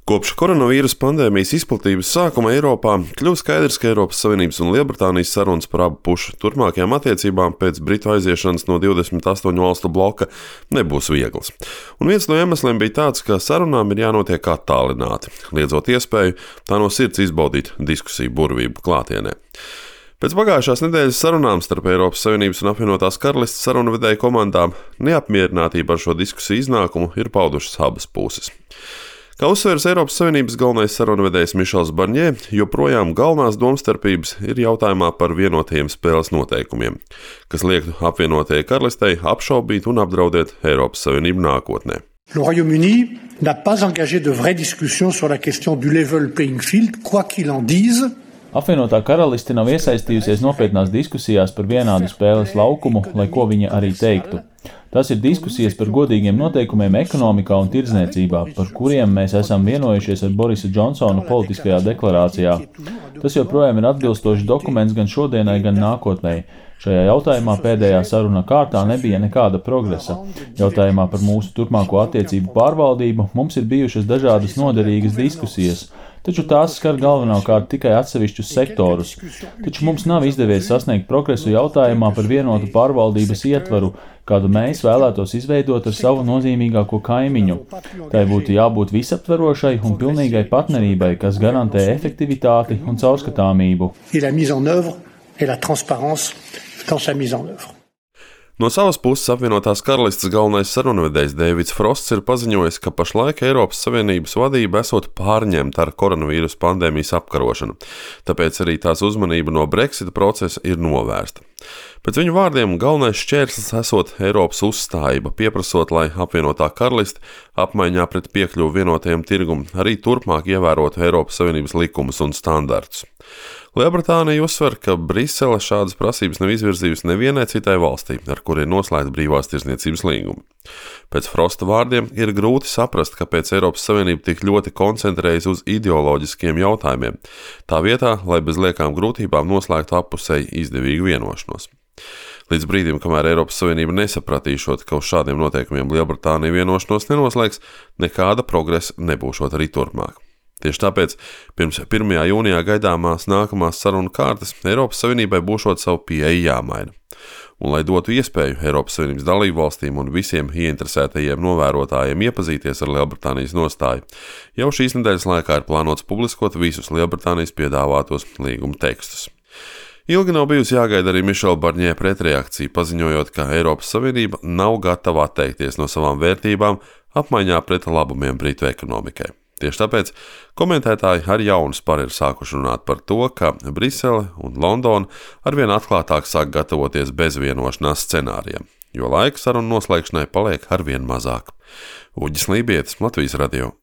Kopš koronavīrusa pandēmijas izplatības sākuma Eiropā kļuva skaidrs, ka Eiropas Savienības un Lielbritānijas sarunas par abu pušu turpmākajām attiecībām pēc Britu aiziešanas no 28 valstu bloka nebūs vieglas. Un viens no iemesliem bija tāds, ka sarunām ir jānotiek attālināti, liedzot iespēju tā no sirds izbaudīt diskusiju burvību klātienē. Pēc pagājušās nedēļas sarunām starp Eiropas Savienības un apvienotās karalistes sarunvedēju komandām neapmierinātība ar šo diskusiju iznākumu ir paudušas abas puses. Kā uzsveras Eiropas Savienības galvenais sarunvedējs Mišels Barņē, joprojām galvenās domstarpības ir jautājumā par vienotajiem spēles noteikumiem, kas liektu apvienotajai karalistei apšaubīt un apdraudēt Eiropas Savienību nākotnē. Le Royaume-Uni n'a pas engagé de vraies discussions sur la question du level playing field, quoi qu'il en dise. Apvienotā karaliste nav iesaistījusies nopietnās diskusijās par vienādu spēles laukumu, lai ko viņa arī teiktu. Tas ir diskusijas par godīgiem noteikumiem ekonomikā un tirdzniecībā, par kuriem mēs esam vienojušies ar Borisa Džonsona politiskajā deklarācijā. Tas joprojām ir atbilstošs dokuments gan šodienai, gan nākotnē. Šajā jautājumā pēdējā saruna kārtā nebija nekāda progresa. Jautājumā par mūsu turpmāko attiecību pārvaldību mums ir bijušas dažādas noderīgas diskusijas, taču tās skar galvenokārt tikai atsevišķus sektorus. Taču mums nav izdevies sasniegt progresu jautājumā par vienotu pārvaldības ietvaru, kādu mēs vēlētos izveidot ar savu nozīmīgāko kaimiņu. Tai būtu jābūt visaptverošai un pilnīgai partnerībai, kas garantē efektivitāti un caurskatāmību. No savas puses apvienotās karalistes galvenais sarunvedējs Deivids Frosts ir paziņojis, ka pašlaik Eiropas Savienības vadība esot pārņemta ar koronavīrusa pandēmijas apkarošanu, tāpēc arī tās uzmanība no Brexita procesa ir novērsta. Pēc viņu vārdiem galvenais šķērslis esot Eiropas uzstājība, pieprasot, lai apvienotā karaliste apmaiņā pret piekļuvu vienotajam tirgum arī turpmāk ievērotu Eiropas Savienības likumus un standartus. Lielbritānija uzsver, ka Brisele šādas prasības nav izvirzījusi nevienai citai valstī, ar kuru ir noslēgta brīvās tirdzniecības līguma. Pēc Frosta vārdiem ir grūti saprast, kāpēc Eiropas Savienība tik ļoti koncentrējas uz ideoloģiskiem jautājumiem, tā vietā, lai bez liekām grūtībām noslēgtu appusēji izdevīgu vienošanos. Līdz brīdim, kamēr Eiropas Savienība nesapratīšot, ka uz šādiem noteikumiem Lielbritānija vienošanos nenoslēgs, nekāda progresa nebūšot arī turpmāk. Tieši tāpēc pirms 1. jūnijā gaidāmās nākamās sarunu kārtas Eiropas Savienībai būšot savu pieeju jāmaina. Un, lai dotu iespēju Eiropas Savienības dalībvalstīm un visiem ieinteresētajiem novērotājiem iepazīties ar Lielbritānijas nostāju, jau šīs nedēļas laikā ir plānots publiskot visus Lielbritānijas piedāvātos līguma tekstus. Ilgi nav bijusi jāgaida arī Mišela Barņē pretreakcija, paziņojot, ka Eiropas Savienība nav gatava atteikties no savām vērtībām apmaiņā pret labumiem Britu ekonomikai. Tieši tāpēc komentētāji ar jaunu sparu ir sākuši runāt par to, ka Brisele un Londona arvien atklātāk sāk gatavoties bezvienošanās scenārijam, jo laika sarunu noslēgšanai paliek arvien mazāk. Uģis Lībietis, Latvijas radio.